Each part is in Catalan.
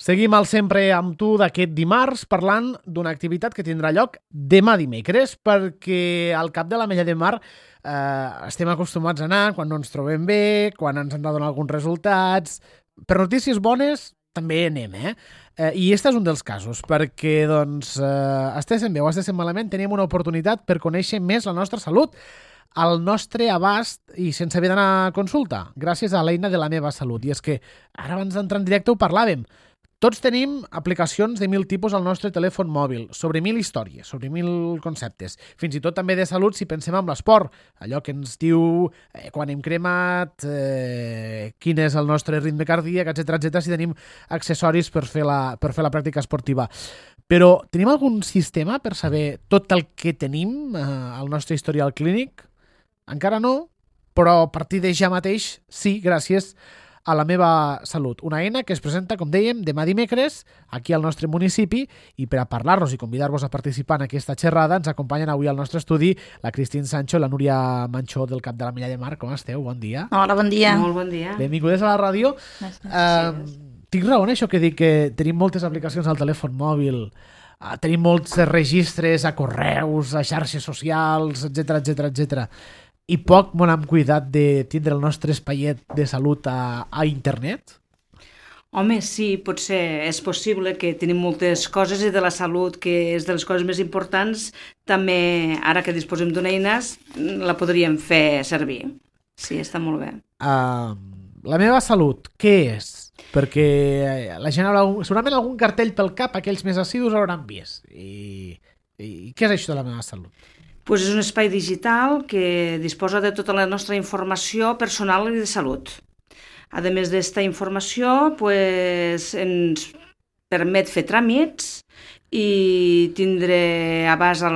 Seguim al Sempre amb tu d'aquest dimarts parlant d'una activitat que tindrà lloc demà dimecres, perquè al Cap de l'Ametlla de Mar estem acostumats a anar quan no ens trobem bé, quan ens han de donar alguns resultats. Per notícies bones també anem, I este és un dels casos, perquè estiguéssim bé o estiguéssim malament, teníem una oportunitat per conèixer més la nostra salut, al nostre abast i sense haver d'anar a consulta, gràcies a l'eina de La meva salut. I és que ara abans d'entrar en directe ho parlàvem. Tots tenim aplicacions de 1000 tipus al nostre telèfon mòbil, sobre 1000 històries, sobre 1000 conceptes. Fins i tot també de salut si pensem en l'esport, allò que ens diu quan hem cremat, quin és el nostre ritme cardíac, etc, si tenim accessoris per fer la pràctica esportiva. Però tenim algun sistema per saber tot el que tenim al nostre historial clínic? Encara no, però a partir de ja mateix sí, gràcies a La meva salut. Una eina que es presenta, com dèiem, demà dimecres aquí al nostre municipi, i per a parlar-nos i convidar-vos a participar en aquesta xerrada ens acompanyen avui al nostre estudi la Cristín Sancho i la Núria Manchó del Cap de l'Ametlla de Mar. Com esteu? Bon dia. Hola, bon dia. Molt bon dia. Benvingudes a la ràdio. Tinc raó en això que dic que tenim moltes aplicacions al telèfon mòbil, tenim molts registres a correus, a xarxes socials, etc. I poc bon hem cuidat de tindre el nostre espaiet de salut a internet? Home, sí, potser és possible que tenim moltes coses i de la salut, que és de les coses més importants, també ara que disposem d'una eina la podríem fer servir. Sí, està molt bé. La meva salut, què és? Perquè la gent haurà segurament algun cartell pel cap, aquells més assidus hauran vist. I què és això de La meva salut? Pues és un espai digital que disposa de tota la nostra informació personal i de salut. A més d'esta informació, pues, ens permet fer tràmits i tindre abast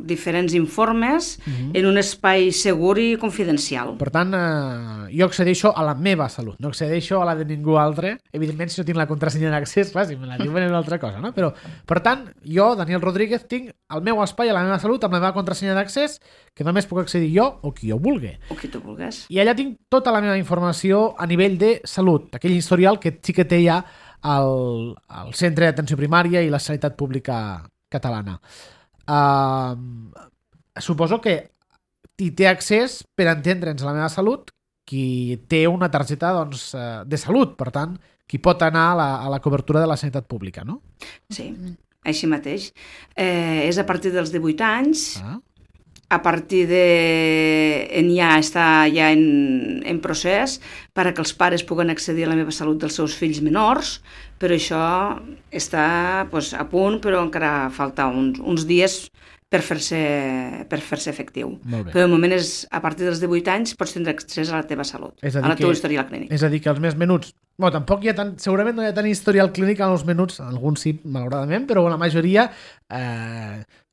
diferents informes en un espai segur i confidencial. Per tant, jo accedeixo a la meva salut, no accedeixo a la de ningú altre. Evidentment, si no tinc la contrasenya d'accés, clar, si me la diuen és una altra cosa, no? Però, per tant, jo, Daniel Rodríguez, tinc el meu espai a La meva salut amb la meva contrasenya d'accés, que només puc accedir jo o qui jo vulgui. O qui tu vulguis. I allà tinc tota la meva informació a nivell de salut, aquell historial que sí que té ja al Centre d'Atenció Primària i la Sanitat Pública Catalana. Suposo que hi té accés, per entendre'ns, a La meva salut, qui té una targeta de salut, per tant, qui pot anar a la cobertura de la sanitat pública, no? Sí, així mateix. És a partir dels 18 anys, a partir està ja en procés perquè els pares puguen accedir a La meva salut dels seus fills menors, però això està a punt, però encara falta uns dies per fer-se efectiu. Però de moment a partir dels 18 anys pots tindre accés a la teva salut, a la teva historial clínic. És a dir, que els més menuts, tampoc hi ha segurament no hi ha tant historial clínic en els menuts, alguns sí, malauradament, però la majoria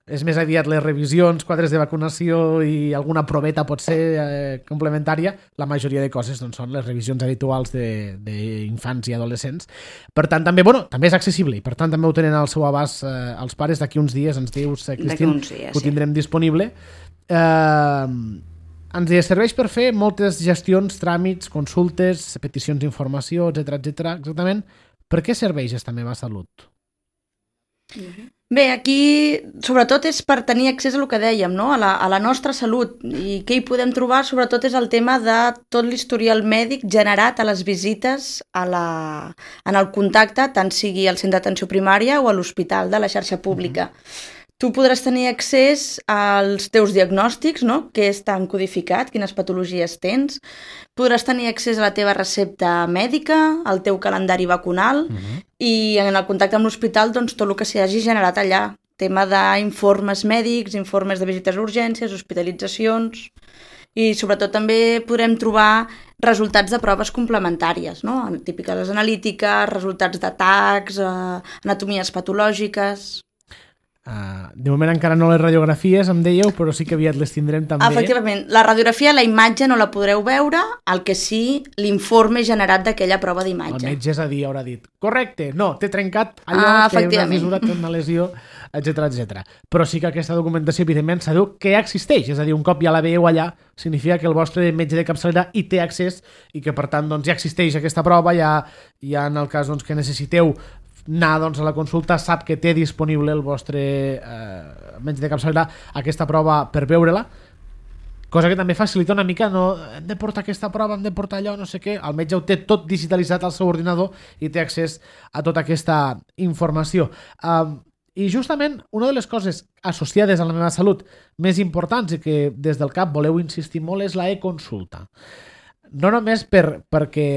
és més aviat les revisions, quadres de vacunació i alguna proveta pot ser complementària. La majoria de coses són les revisions habituals d'infants i adolescents. Per tant, també és accessible i per tant també ho tenen al seu abast els pares. D'aquí uns dies ens dius, Cristín, que ho tindrem disponible. Ens serveix per fer moltes gestions, tràmits, consultes, peticions d'informació, etc. Exactament, per què serveix esta meva salut? Bé, aquí sobretot és per tenir accés a el que dèiem, no? A la nostra salut, i què hi podem trobar sobretot és el tema de tot l'historial mèdic generat a les visites en el contacte, tant sigui al centre d'atenció primària o a l'hospital de la xarxa pública. Tu podràs tenir accés als teus diagnòstics, no? Què està codificat, quines patologies tens. Podràs tenir accés a la teva recepta mèdica, al teu calendari vacunal i en el contacte amb l'hospital tot el que s'hagi generat allà. Tema d'informes mèdics, informes de visites a urgències, hospitalitzacions i sobretot també podrem trobar resultats de proves complementàries, no? Típiques analítiques, resultats d'atacs, anatomies patològiques. De moment encara no les radiografies, em dèieu, però sí que aviat les tindrem també. Efectivament, la radiografia, la imatge no la podreu veure, el que sí, l'informe generat d'aquella prova d'imatge. El metge, és a dir, haurà dit, correcte, no, t'he trencat allò, té una fissura, té una lesió, etc. Però sí que aquesta documentació, evidentment, sabeu que existeix, és a dir, un cop ja la veieu allà, significa que el vostre metge de capçalera hi té accés i que, per tant, doncs, ja existeix aquesta prova, ja en el cas doncs, que necessiteu anar doncs, a la consulta, sap que té disponible el vostre metge de capçalera aquesta prova per veure-la, cosa que també facilita una mica, no hem de portar aquesta prova, hem de portar allò, no sé què, el metge ho té tot digitalitzat al seu ordinador i té accés a tota aquesta informació. I justament una de les coses associades a la meva salut més importants i que des del CAP voleu insistir molt és la e-consulta. No només perquè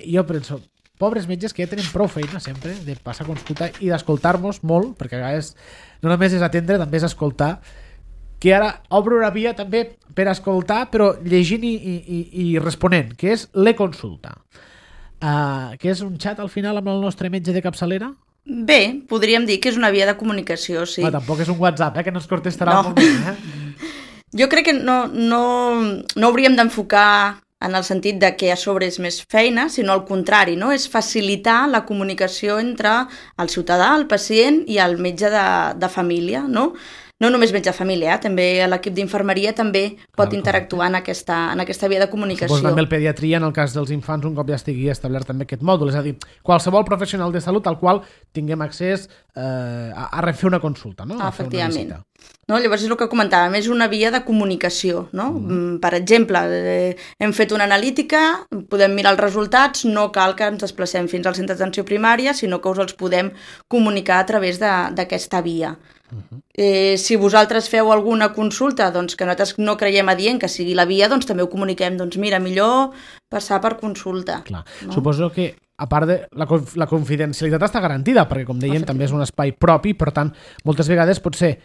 jo penso, pobres metges que ja tenen prou feina sempre de passar consulta i d'escoltar-nos molt, perquè a vegades no només és atendre, també és escoltar, que ara obro una via també per escoltar, però llegint i responent, que és l'e-consulta. Que és un xat al final amb el nostre metge de capçalera? Bé, podríem dir que és una via de comunicació, sí. Tampoc és un WhatsApp, que no es contestarà molt bé. Jo crec que no hauríem d'enfocar en el sentit de que a sobre és més feina, sinó al contrari, no? És facilitar la comunicació entre el ciutadà, el pacient i el metge de família, no? No només metge de família, també l'equip d'infermeria també pot interactuar en aquesta via de comunicació. Suposo també el pediatria, en el cas dels infants, un cop ja estigui establert també aquest mòdul, és a dir, qualsevol professional de salut al qual tinguem accés a refer una consulta, no? Efectivament. No, llavors és el que comentàvem, és una via de comunicació, no? Per exemple, hem fet una analítica, podem mirar els resultats, no cal que ens desplacem fins al centre d'atenció primària, sinó que us els podem comunicar a través d'aquesta via. Si vosaltres feu alguna consulta doncs, que nosaltres no creiem adient que sigui la via, doncs també ho comuniquem, doncs mira, millor passar per consulta. Clar. No? Suposo que a part de la confidencialitat està garantida, perquè com dèiem també és un espai propi, per tant moltes vegades pot ser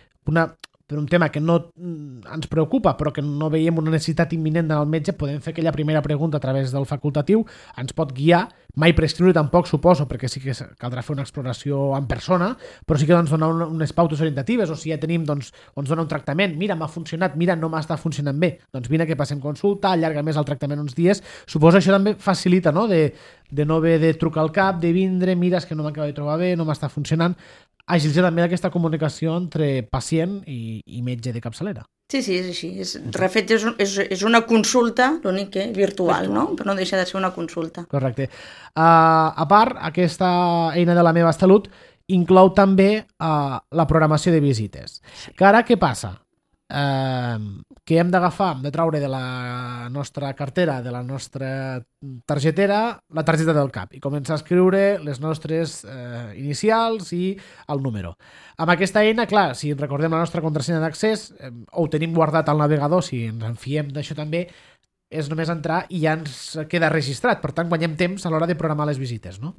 per un tema que no ens preocupa però que no veiem una necessitat imminent del metge, podem fer aquella primera pregunta a través del facultatiu, ens pot guiar, mai prescriure tampoc suposo, perquè sí que caldrà fer una exploració en persona, però sí que doncs, donar unes pautes orientatives, o si ja tenim, doncs, ens dona un tractament, mira, m'ha funcionat, mira, no m'està funcionant bé, doncs vine que passem consulta, allarga més el tractament uns dies, suposo això també facilita, no?, de no haver de trucar al CAP, de vindre, mira, és que no m'acaba de trobar bé, no m'està funcionant, agilitzar també aquesta comunicació entre pacient i metge de capçalera. Sí, és així. De fet, és una consulta, l'únic que virtual, no? Però no deixa de ser una consulta. Correcte. A part, aquesta eina de la meva salut inclou també la programació de visites. Que ara què passa? Que hem d'agafar, hem de traure de la nostra cartera, de la nostra targetera, la targeta del CAP i començar a escriure les nostres inicials i el número. Amb aquesta eina, clar, si recordem la nostra contrasenya d'accés, o ho tenim guardat al navegador, si ens en fiem d'això també, és només entrar i ja ens queda registrat. Per tant, guanyem temps a l'hora de programar les visites, no?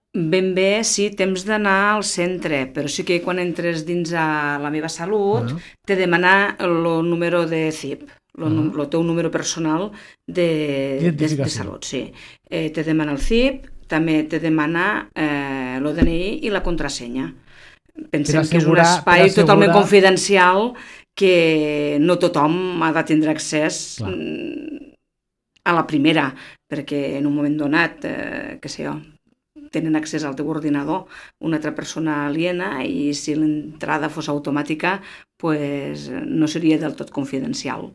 Ben bé, sí, temps d'anar al centre, però sí que quan entres dins a la meva salut t'he de demanar el número de CIP, el teu número personal de salut. Sí. T'he de demanar el CIP, també t'he de demanar l'ODNI i la contrasenya. Pensem que és un espai totalment confidencial que no tothom ha de tindre accés a la primera, perquè en un moment donat, què sé jo, tenen accés al teu ordinador una altra persona aliena i si l'entrada fos automàtica pues, no seria del tot confidencial.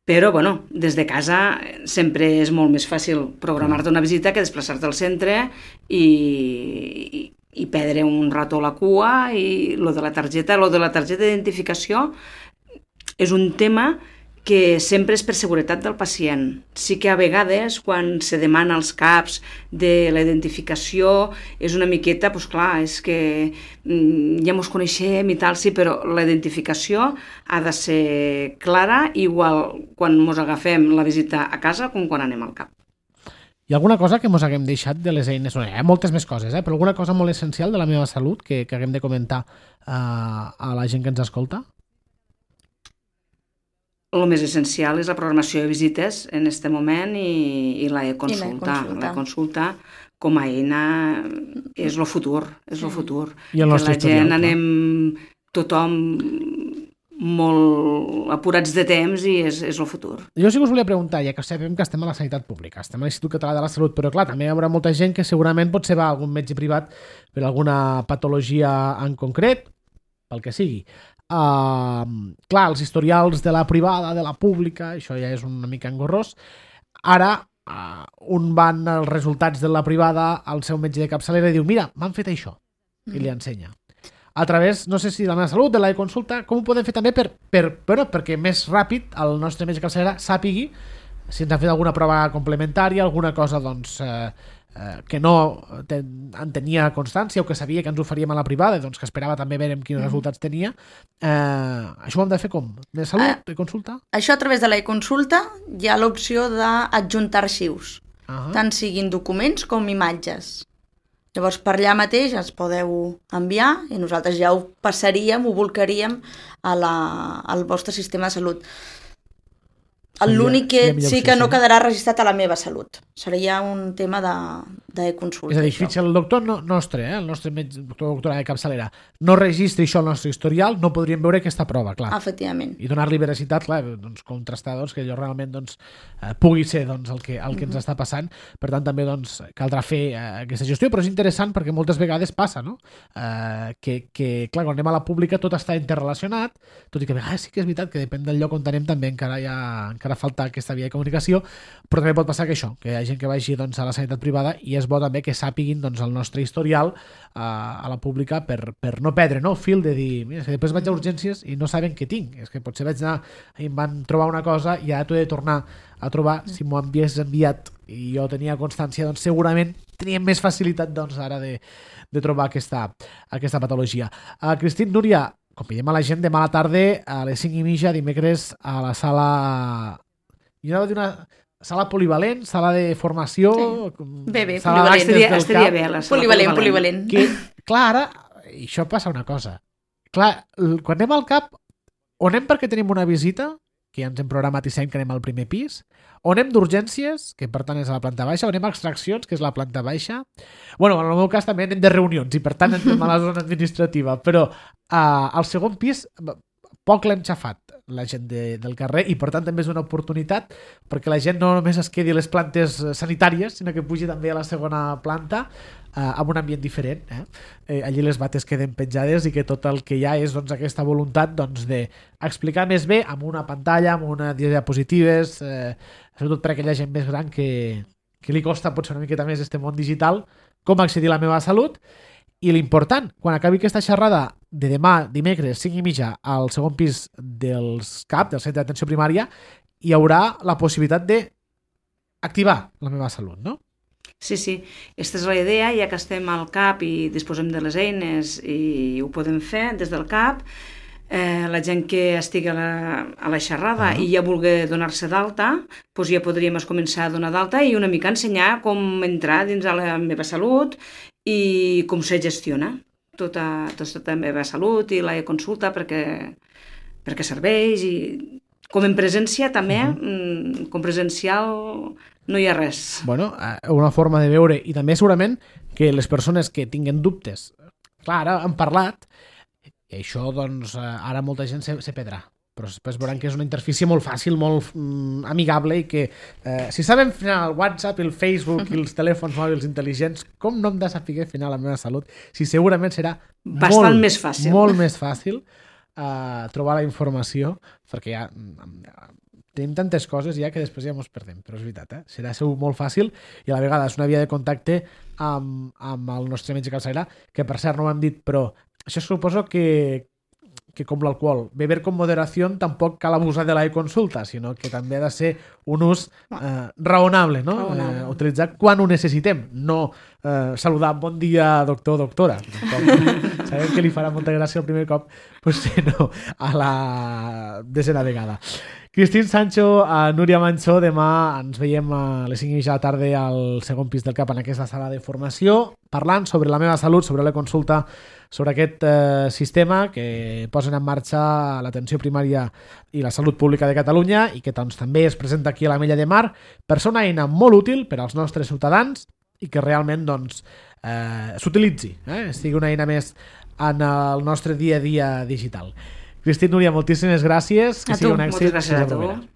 Però, bueno, des de casa sempre és molt més fàcil programar-te una visita que desplaçar-te al centre i perdre un rato a la cua i lo de la targeta d'identificació és un tema que sempre és per seguretat del pacient. Sí que a vegades, quan se demana als CAPs de la identificació, és una miqueta, doncs clar, és que ja ens coneixem i tal, sí, però la identificació ha de ser clara, igual quan ens agafem la visita a casa com quan anem al CAP. Hi ha alguna cosa que ens haguem deixat de les eines? Hi ha moltes més coses, però alguna cosa molt essencial de la meva salut que haguem de comentar a la gent que ens escolta? El més essencial és la programació de visites en aquest moment i la e-consulta. La e-consulta com a eina és el futur, és el futur. I el nostre que la gent historial, anem tothom molt apurats de temps i és el futur. Jo sí que us volia preguntar, ja que sabem que estem a la sanitat pública, estem a l'Institut Català de la Salut, però clar, també hi haurà molta gent que segurament potser va a algun metge privat per alguna patologia en concret, pel que sigui. Clar, els historials de la privada, de la pública, això ja és una mica engorrós. Ara, un van els resultats de la privada al seu metge de capçalera i diu, mira, m'han fet això, i li ensenya. A través, no sé si de la meva salut, de la consulta, com ho podem fer també perquè més ràpid el nostre metge de capçalera sàpigui si ens ha fet alguna prova complementària, alguna cosa doncs, que no en tenia constància o que sabia que ens ho faríem a la privada, doncs que esperava també veure quins resultats tenia. Això ho hem de fer com? De salut, de consulta? Això a través de la consulta hi ha l'opció d'adjuntar arxius, tant siguin documents com imatges. Llavors, per allà mateix ens podeu enviar i nosaltres ja ho passaríem, ho volcaríem al vostre sistema de salut. L'únic que sí que no quedarà registrat a la meva salut. Seria un tema de consulta. És a dir, fitxa el doctor nostre, el nostre doctora de capçalera, no registri això al nostre historial, no podríem veure aquesta prova, clar. Efectivament. I donar-li veracitat, clar, doncs, contrastar que allò realment pugui ser el que ens està passant. Per tant, també caldrà fer aquesta gestió, però és interessant perquè moltes vegades passa, no? Que clar, quan anem a la pública tot està interrelacionat, tot i que a vegades sí que és veritat que depèn del lloc on anem també encara falta aquesta via de comunicació, però també pot passar que això, que hi ha gent que vagi a la sanitat privada i és bo també que sàpiguin el nostre historial a la pública per no perdre el fil de dir, mira, si després vaig a urgències i no saben què tinc, és que potser vaig anar i em van trobar una cosa i ara t'ho he de tornar a trobar, si m'ho havies enviat i jo tenia constància, doncs segurament teníem més facilitat ara de trobar aquesta patologia. Cristín, Núria, convidem a la gent demà a la tarda a les 5:30, dimecres, a la sala... Jo anava a dir una sala polivalent, sala de formació... Bé, polivalent. Estaria bé, la sala polivalent. Que, clar, ara, i això passa una cosa. Clar, quan anem al CAP, o anem perquè tenim una visita, que ja ens hem programat i sabem que anem al primer pis, o anem d'urgències, que per tant és a la planta baixa, o anem a extraccions, que és la planta baixa. Bueno, en el meu cas també anem de reunions i per tant entrem a la zona administrativa, però al segon pis poc l'hem xafat la gent del carrer i per tant també és una oportunitat perquè la gent no només es quedi a les plantes sanitàries, sinó que pugi també a la segona planta amb un ambient diferent. Allí les bates queden penjades i que tot el que hi ha és aquesta voluntat d'explicar més bé amb una pantalla, amb unes diapositives, sobretot per a aquella gent més gran que li costa potser una miqueta més este món digital, com accedir a la meva salut. I l'important, quan acabi aquesta xerrada de demà, dimecres, 5:30, al segon pis dels CAP, del Centre d'Atenció Primària, hi haurà la possibilitat d'activar la meva salut, no? Sí, sí. Aquesta és la idea, ja que estem al CAP i disposem de les eines i ho podem fer des del CAP, la gent que estigui a la xerrada i ja vulgui donar-se d'alta, doncs ja podríem començar a donar d'alta i una mica ensenyar com entrar dins de la meva salut i com se gestiona tota la meva salut i la consulta perquè serveix i com en presència també, com presencial no hi ha res. Bueno, una forma de veure i també segurament que les persones que tinguen dubtes, clar, ara han parlat i això doncs ara molta gent se perdrà, però després veuran que és una interfície molt fàcil, molt amigable i que si saben frenar el WhatsApp, el Facebook i els telèfons mòbils intel·ligents, com no hem de saber frenar la meva salut? Si segurament serà bastant més fàcil. Molt més fàcil trobar la informació, perquè ja tenim tantes coses ja que després ja ens perdem, però és veritat, serà segur molt fàcil i a la vegada és una via de contacte amb el nostre metge capçalera, que per cert no ho hem dit, però això suposo que com l'alcohol, beber con moderación, tampoc cal abusar de la consulta, sinó que també ha de ser un ús raonable, no? Utilitzar quan ho necessitem, no saludar bon dia doctor, doctora. Sabem que li farà molta gràcia el primer cop, potser no a la desena vegada. Cristín Sancho, Núria Manchó, demà ens veiem a les 5:30 de la tarda al segon pis del CAP en aquesta sala de formació, parlant sobre la meva salut, sobre la consulta, sobre aquest sistema que posen en marxa l'atenció primària i la salut pública de Catalunya i que doncs, també es presenta aquí a l'Ametlla de Mar per ser una eina molt útil per als nostres ciutadans i que realment doncs, s'utilitzi, sigui una eina més en el nostre dia a dia digital. Cristín, Núria, moltíssimes gràcies. A tu, moltes gràcies a tu.